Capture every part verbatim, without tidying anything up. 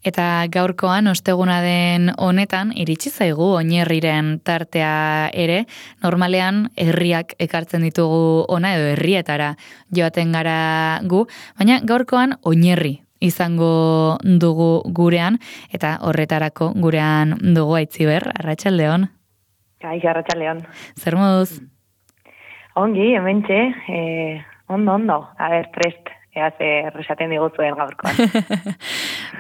Eta gaurkoan, osteguna den honetan, iritsi zaigu oinerriren tartea ere, normalean herriak ekartzen ditugu ona edo herrietara joaten gara gu, baina gaurkoan oinerri izango dugu gurean, eta horretarako gurean dugu Aitziber, arratsaldeon. Kaixo, arratsaldeon. Zer moduz? Ongi, hementxe, eh, ondo, ondo, a ber, prest. Ea zer esaten diguzuen gaurkoan.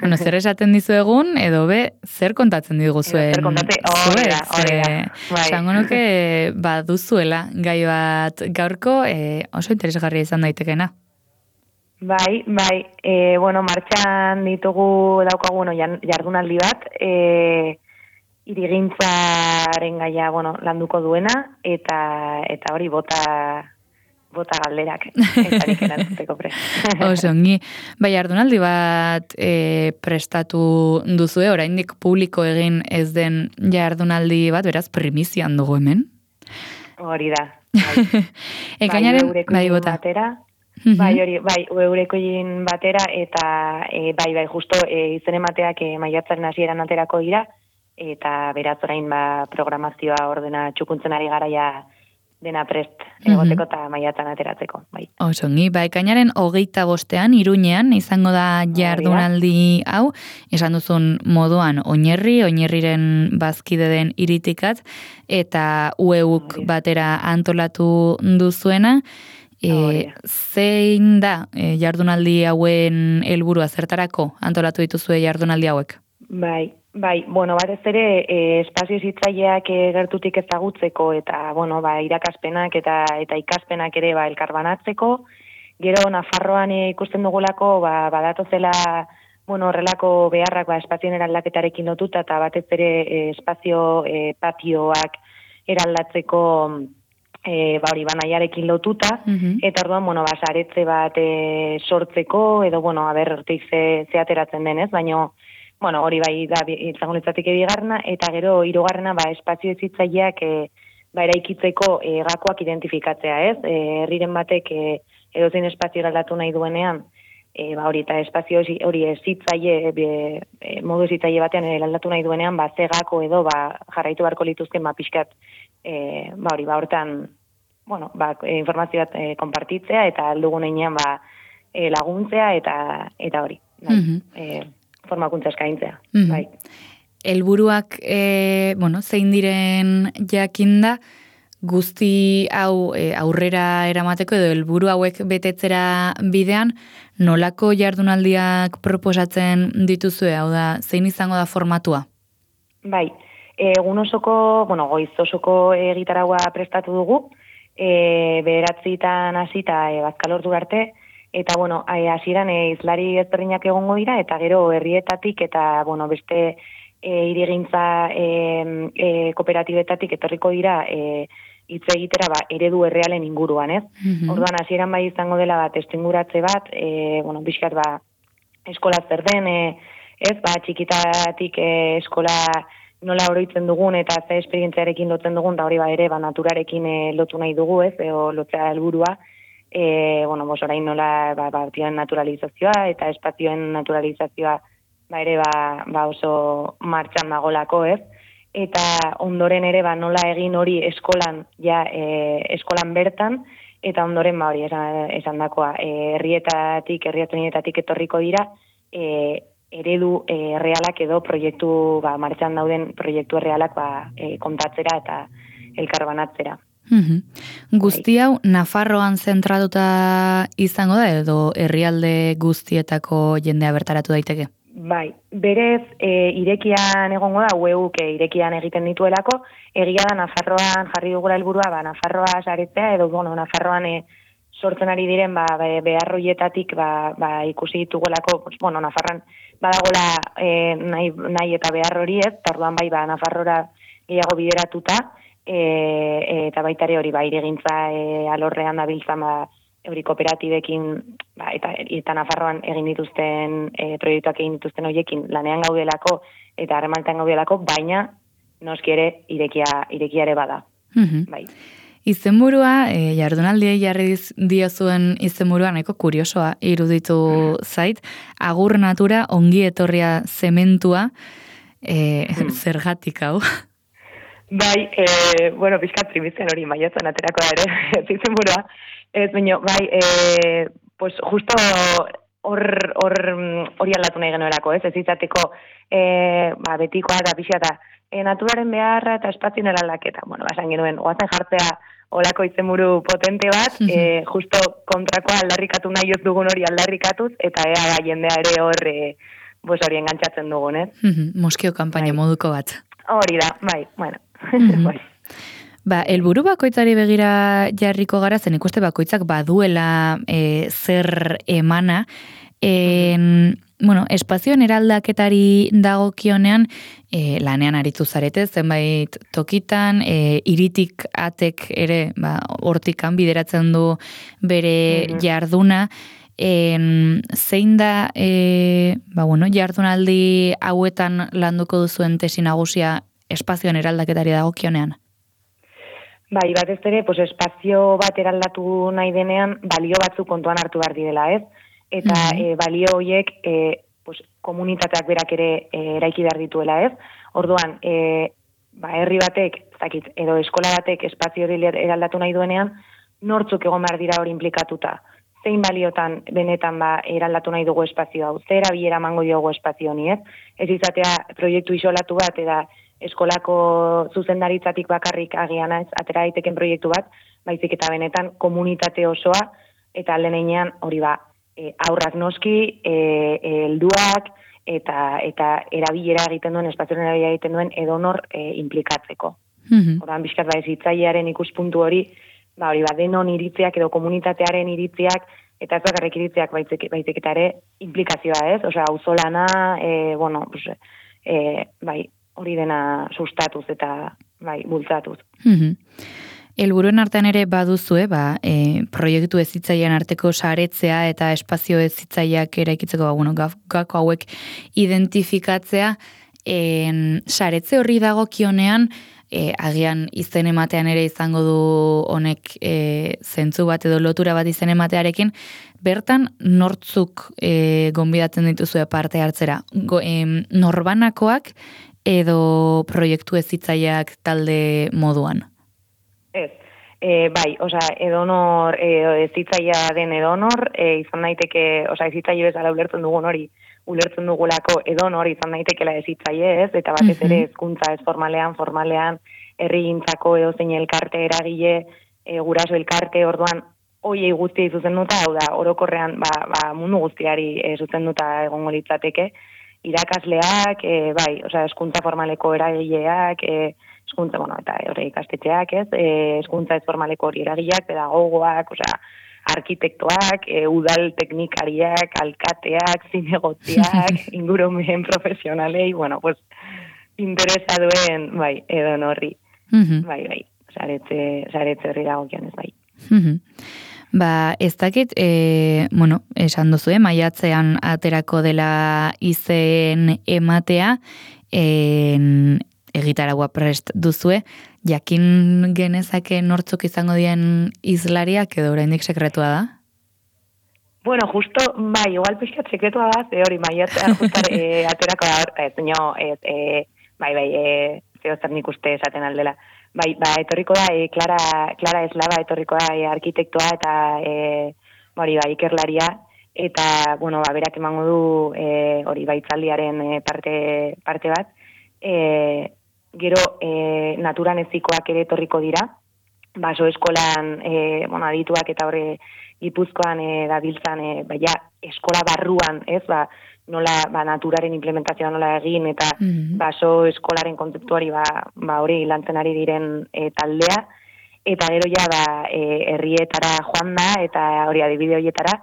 Bueno, zer esaten dizuegun, edo be, zer kontatzen diguzuen? Zer kontatzen, hori da, hori da. Bai. Esango nuke, ba, duzuela, gai bat gaurko, e, oso interesgarria izan daitekena. Bai, bai, e, bueno, martxan ditugu daukagu, bueno, jardunaldi bat, e, irigintzaren gaia, bueno, landuko duena, eta, eta hori bota... bota galderak, etarik erantzuteko prest. Osongi, bai, jardunaldi bat e, prestatu duzue, oraindik publiko egin ez den jardunaldi bat, beraz, primizian dugu hemen? Hori da. Bai. Ekainaren, bai, bai, bota. Batera, bai, hori, bai, eurekoin batera, eta e, bai, bai, justo e, izen emateak e, maiatzaren hasieran aterako dira, eta beraz orain ba, programazioa ordena txukuntzen ari garaia dena prest egoteko eta maiatzan ateratzeko. Bai. Osongi, ba, ekainaren hogeita bostean, Iruñean, izango da jardunaldi hau, esan duzun moduan oinerri, oinerriren bazkide den iritikat, eta U E U-k batera antolatu duzuena. E, zein da e, jardunaldi hauen helburua zertarako antolatu dituzue jardunaldi hauek? Bai, bai, bueno, batez ere e, espazio zitzaileak e, gertutik ezagutzeko eta, bueno, ba, irakaspenak eta eta ikaspenak ere ba, elkarbanatzeko. Gero, Nafarroan e, ikusten dugulako, ba, badatozela, bueno, horrelako beharrak ba, espazioen eraldaketarekin lotuta eta batez ere e, espazio e, patioak eraldatzeko e, ba, hori banaiarekin lotuta, eta orduan, bueno, ba, saretze bat e, sortzeko, edo, bueno, haber, hortik ze, ze ateratzen denez, baino, bueno, hori bai da izango litzatik bigarrena, eta gero hirugarrena ba espazio hezitzaileak e, ba eraikitzeko e, gakoak identifikatzea, ez? E, herriren batek e, edozein espazio eraldatu nahi duenean, e, ba hori eta espazio hori hezitzaile e, e, modu hezitzaile batean eraldatu nahi duenean, ba ze gako edo ba jarraitu beharko lituzken ba pixkat e, ba hori ba hortan, bueno, ba informazio bat e, konpartitzea eta aldugun heinean ba e, laguntzea eta eta hori. Bai. Mm-hmm. E, formakuntza eskaintzea. Mm-hmm. Bai. Helburuak e, bueno, zein diren jakinda guzti hau e, aurrera eramateko edo helburu hauek betetzera bidean nolako jardunaldiak proposatzen dituzue, hau da, zein izango da formatua? Bai, egun osoko, bueno, goiz osoko egitaraua prestatu dugu, e, bederatzitan hasita e, bazkalordu arte. Eta, bueno, hasieran e, izlari ezberdinak egongo dira, eta gero herrietatik eta, bueno, beste e, irigintza e, e, kooperatibetatik etorriko dira e, hitz egitera ba, eredu errealen inguruan, ez? Mm-hmm. Orduan, hasieran bai izango dela bat testuinguratze bat, e, bueno, bizkat ba, eskola zer den, e, ez, ba, txikitatik e, eskola nola oroitzen dugun eta ze esperientziarekin lotzen dugun, da hori ba ere, ba, naturarekin e, lotu nahi dugu, ez, e, o, lotzea helburua. E, bueno, bos, orain nola ba, batioen naturalizazioa eta espazioen naturalizazioa ba, ere ba, ba oso martxan dagolako, ez? Eta ondoren ere ba, nola egin hori eskolan, ja, e, eskolan bertan, eta ondoren ba, hori esan, esan dakoa, e, herrietatik, herrietonietatik etorriko dira, e, eredu e, realak edo proiektu, ba, martxan dauden proiektu realak ba, e, kontatzera eta elkarbanatzera. Mm-hmm. Guzti hau Nafarroan zentratuta izango da edo herrialde guztietako jendea bertaratu daiteke? Bai, berez e, irekian egongo da, U E U-k irekian egiten dituelako, egia da Nafarroan jarri dugula helburua, ba, Nafarroa saretzea edo bueno, Nafarroan e, sortzen ari diren ba, beharroietatik ba, ba, ikusi ditugulako, pues, bueno, Nafarroan badagola e, nahi, nahi eta behar hori ez, eta orduan bai ba, Nafarrora gehiago bideratuta, E, eta baita ere hori ba, iregintza e, alorrean dabiltzan ba, euri kooperatibekin ba, eta, eta Nafarroan egin dituzten e, proiektuak egin dituzten horiekin lanean gaudelako eta harremantan gaudelako, baina noski ere irekia, irekia ere bada. Mm-hmm. Bai. Izenburua, e, jardunaldiei jarri diozuen izenburua nahiko kuriosoa iruditu zait. Agur natura, ongi etorria zementua, e, hmm. zergatik hau? Bai, e, bueno, pixkat primizian hori maiatzen aterako da ere, izenburua. Ez, baina, bai, e, pues justo hor hori aldatu nahi genuelako, ez? Ez izateko e, ba, betikoa eta pixka eta e, naturaren beharra eta espazioen eraldaketa. Bueno, basan genuen, oazen jartzea olako izenburu potente bat, e, justo kontrakoa aldarrikatu nahi ez dugun hori aldarrikatuz, eta ea ba, jendea ere hor e, pues hori engantzatzen dugun, ez? Moskio kanpaina bai. Moduko bat. Hori da, bai, bueno. bai. Ba, helburu bakoitzari begira jarriko gara, zen ikuste bakoitzak baduela e, zer emana, en, bueno, espazioen eraldaketari dagokionean e, lanean aritu zarete, zenbait tokitan, e, iritik atek ere, ba, hortikan bideratzen du bere mm-hmm. jarduna, en, zein da, e, ba, bueno, jardunaldi hauetan landuko duzuen tesi nagusia espazioen eraldaketari dagokionean? Bai, batez ere, pues, espazio bat eraldatu nahi denean, balio batzuk kontuan hartu behar direla, ez? Eta mm-hmm. e, balio horiek e, pues, komunitateak berak ere e, eraiki behar dituela, ez? Orduan, e, ba, herri batek, zakit, edo eskola batek espazio hori eraldatu nahi duenean, nortzuk egon behar dira hori implikatuta. Zein baliotan benetan ba, eraldatu nahi dugu espazio hau, zer erabilera emango diogu espazio honi, ez? Ez izatea proiektu isolatu bat, eta eskolako zuzendaritzatik bakarrik agian ez, atera daiteken proiektu bat, baizik eta benetan komunitate osoa, eta aldenean hori ba, e, aurrak noski, e, e, helduak, eta eta erabilera egiten duen, espazioen erabilera egiten duen edonor e, implikatzeko. Mm-hmm. Horan, bizkat ba, ezitzailearen ikuspuntu hori, ba, hori ba, denon iritziak edo komunitatearen iritziak, eta ez bakarrik iritziak baizik, baizik eta ere implikazioa ez, osea, auzolana, e, bueno, pues, e, bai, hori dena sustatuz eta bai, bultzatuz. Mm-hmm. Helburuen artean ere baduzue, ba, e, proiektu ezitzailean arteko saretzea eta espazio ezitzaileak eraikitzeko, ba, bueno, gako hauek identifikatzea, en, saretze horri dagokionean, e, agian izen ematean ere izango du honek e, zentzu bat edo lotura bat izen ematearekin, bertan nortzuk e, gonbidatzen dituzue parte hartzera? Go, e, norbanakoak edo proiektu ezitzaileak talde moduan? Ez, e, bai, osea, edonor, e, ezitzailea den edonor, e, izan daiteke, osea, ezitzaile bezala ulertzen dugun hori, ulertzen dugulako edonor izan daitekela ezitzaile ez, eta batez ere hezkuntza ez formalean, formalean, herrigintzako edo zein elkarte eragile, e, guraso elkarte, orduan, hoiei guztiei zuzenduta, hau da, orokorrean, ba, ba, mundu guztiari e, zuzenduta egongo litzateke, irakasleak, e, bai, osea, hezkuntza formaleko eragileak, e, hezkuntza, bueno, eta horre ikastetxeak, ez, e, hezkuntza ez formaleko hori eragileak, pedagogoak, osea, arkitektoak, e, udal teknikariak, alkateak, zinegotziak, ingurumen profesionalei, bueno, pues, interesa duen, bai, edo norri. Mm-hmm. Bai, bai, saretze, saretze horri dagokionez, bai. Mm-hmm. Ba, ez dakit, e, bueno, esan duzu, eh, maiatzean aterako dela izen ematea, en, egitaragua prest duzue, jakin genezake nortzuk izango dien izlariak edo oraindik sekretua da? Bueno, justo, bai, igual pixkat sekretua da, ze hori maiatzean justar e, aterako da, ez, no, ez, e, bai, bai, e, zeo zer nik uste esaten aldela. Bai, ba, etorriko da, e, Clara, Clara Eslava etorriko da, e, arkitektoa eta e, hori ba, ikerlaria, eta, bueno, ba, berak emango du e, hori baitzaldiaren e, parte, parte bat. E, gero, e, naturan ezikoak ere etorriko dira, baso eskolan, e, bueno, adituak eta hori Gipuzkoan e, dabiltzan, e, baina eskola barruan, ez, ba, nola, ba, naturaren implementazioa nola egin, eta mm-hmm. baso eskolaren kontzeptuari, ba, ba hori lantzen ari diren e, taldea, eta gero ja, ba, e, herrietara joan da, eta hori adibide horietara,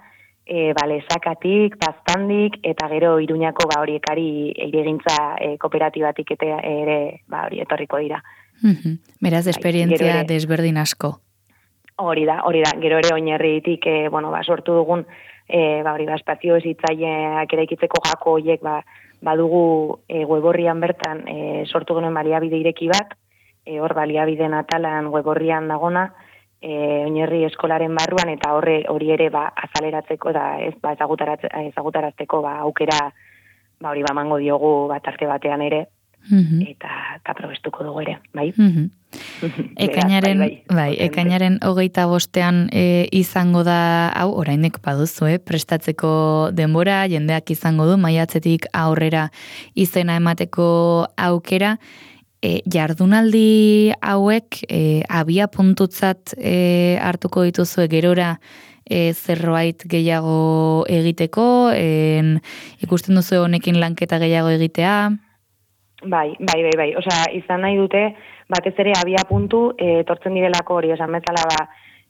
e, ba, Lezakatik, Baztandik, eta gero Iruñako, ba, hori ekari egintza e, kooperatibatik eta ere, ba, hori etorriko dira. Mm-hmm. Beraz, esperientzia bai, desberdin asko. Hori da, hori da, gero ere oinarritik, e, bueno, ba, sortu dugun, e, ba, hori da, espazio ezitzaileak eraikitzeko jako horiek, ba, badugu e, weborrian bertan e, sortu genuen baliabide ireki bat, e, hor baliabideen atalan weborrian dagona, e, oinarri eskolaren barruan, eta horre hori ere ba, azaleratzeko da ez ba, ezagutarazteko ba, aukera ba, hori ba, mango diogu bat arte batean ere, mm-hmm. eta, eta probestuko dugu ere, bai? Mm-hmm. Ekainaren, bai, bai, bai, ekainaren hogeita bostean e, izango da, hau, orainek baduzu, eh? Prestatzeko denbora, jendeak izango du, maiatzetik aurrera izena emateko aukera, e, jardunaldi hauek e, abia puntutzat e, hartuko dituzue gerora e, zerbait gehiago egiteko, en, ikusten duzu honekin lanketa gehiago egitea? Bai, bai, bai, bai. Osea, izan nahi dute, batez ere abia puntu, e, tortzen direlako hori, esan bezala ba,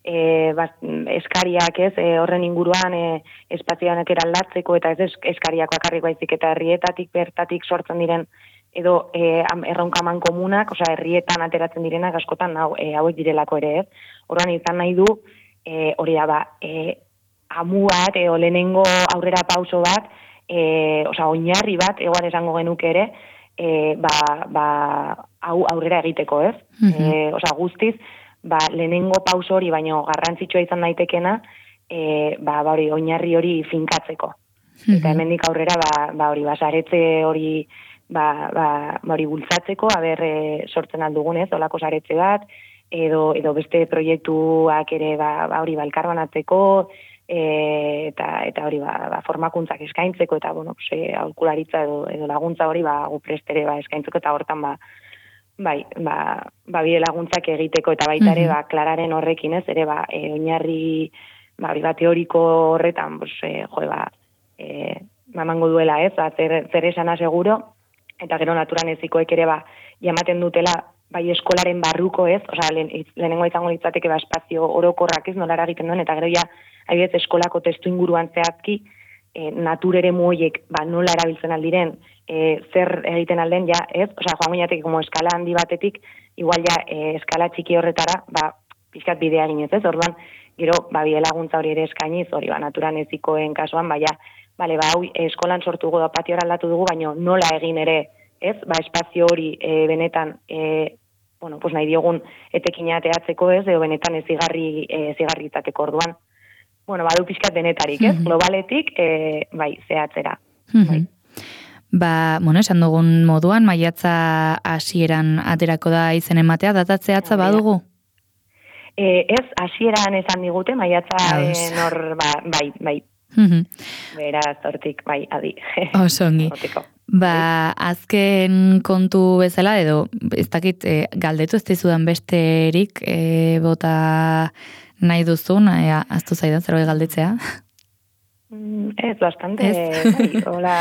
e, ba, eskariak ez, e, horren inguruan e, espazioanek eraldatzeko, eta ez eskariak bakarrik baizik, eta herrietatik bertatik sortzen diren, edo e, erronkaman komunak, osea, herrietan ateratzen direnak askotan hau, e, hauek direlako ere ez. Horren izan nahi du, e, hori da ba, e, amu bat, e, lehenengo aurrera pauso bat, e, osea, oinarri bat, egoan esango genuke ere, E, ba, ba, hau aurrera egiteko, ez? Mm-hmm. E, osea, guztiz, ba, lehenengo pauso hori, baino garrantzitsua izan daitekena, e, ba, ba hori, oinarri hori finkatzeko. Mm-hmm. Eta hemendik aurrera, ba, ba hori, ba, saretze hori, ba, ba, ba hori bultzatzeko, aber e, sortzen aldugunez, olako saretze bat, edo, edo beste proiektuak ere, ba, ba hori, ba, elkarbanatzeko, E, eta eta hori ba, ba formakuntzak eskaintzeko eta bueno, pues eh aholkularitza edo, edo laguntza hori ba gu prestere ba eskaintzeko eta hortan ba bai, ba ba bide laguntzak egiteko eta baita ere ba Klararen horrekin ez ere ba e, oinarri ba hori ba teoriko horretan pues eh jo ba eh mamango duela ez, ba, zer zer esana seguro eta gero naturan ezikoek ere ba jamaten dutela bai eskolaren barruko ez, osea lehenengo izango litzateke ba espazio orokorrak ez nola egiten duen eta gero ja haibet eskolako testu inguruan zehazki, e, naturere muoiek ba, nola erabiltzen aldiren, e, zer egiten alden, ja, ez? Osea, joan gineatek, como eskala handi batetik, igual ja, e, eskala txiki horretara, ba, pixkat bidea ginez, ez? Orduan, gero, ba, bide laguntza hori ere eskainiz, hori, ba, naturan ezikoen kasuan, ba, ja, bale, ba, hau, eskolan sortu dugu, patio aldatu dugu, baino nola egin ere, ez? Ba, espazio hori e, benetan, e, bueno, pues nahi diogun etekina ateatzeko ez, edo benetan ez zigarri, e, zigarri izateko orduan. Bueno, badu pixkat denetarik, ez? Mm-hmm. Globaletik, e, bai, zehatzera. Mm-hmm. Bai. Ba, bueno, esan dugun moduan, maiatza hasieran aterako da izen ematea, datatzeatza ja, badugu? E, ez, hasieran esan digute, maiatza nor, ba, bai, bai. Mm-hmm. Beraz, hortik, bai, adi. Osongi. Ba, azken kontu bezala, edo, ez dakit, e, galdetu ez dizudan besterik, e, bota nahi duzun, ea, aztu zaidan zerbait galdetzea? Mm, ez, bastante, ez? Bai, hola,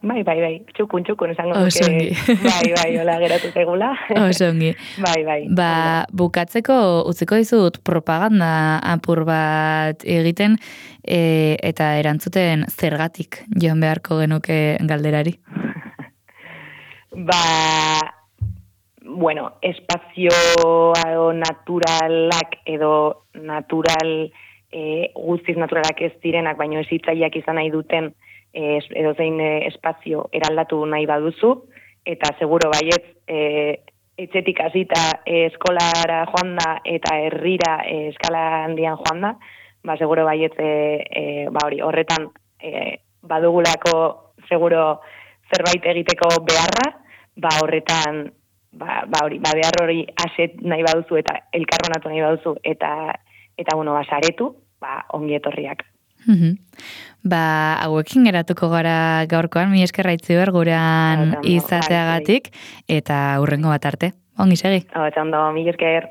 bai, bai, bai, txukun, txukun, esango duke, bai, bai, hola, geratu zegula. Osongi. Bai, bai. Ba, bukatzeko, utziko dizut propaganda apur bat egiten, e, eta erantzuten zergatik joan beharko genuke galderari. Ba, bueno, espazio naturalak edo natural, e, guztiz naturalak ez direnak, baino ezitzaileak izan nahi duten e, edo zein e, espazio eraldatu nahi baduzu, eta seguro baietz e, etxetik hasita e, eskolara joan da eta herrira e, eskala handian joan da, ba, seguro baietz e, e, ba, hori, horretan e, badugulako seguro zerbait egiteko beharra, ba horretan ba, ba hori, ba behar hori aset nahi baduzu eta elkarbanatu nahi baduzu eta eta bueno, ba saretu, ba ongi etorriak. Mm-hmm. Ba, hauekin geratuko gara gaurkoan, mi eskerra Itziber gurean izateagatik eta hurrengo bat arte. Ongi segi. Ondo, mi esker.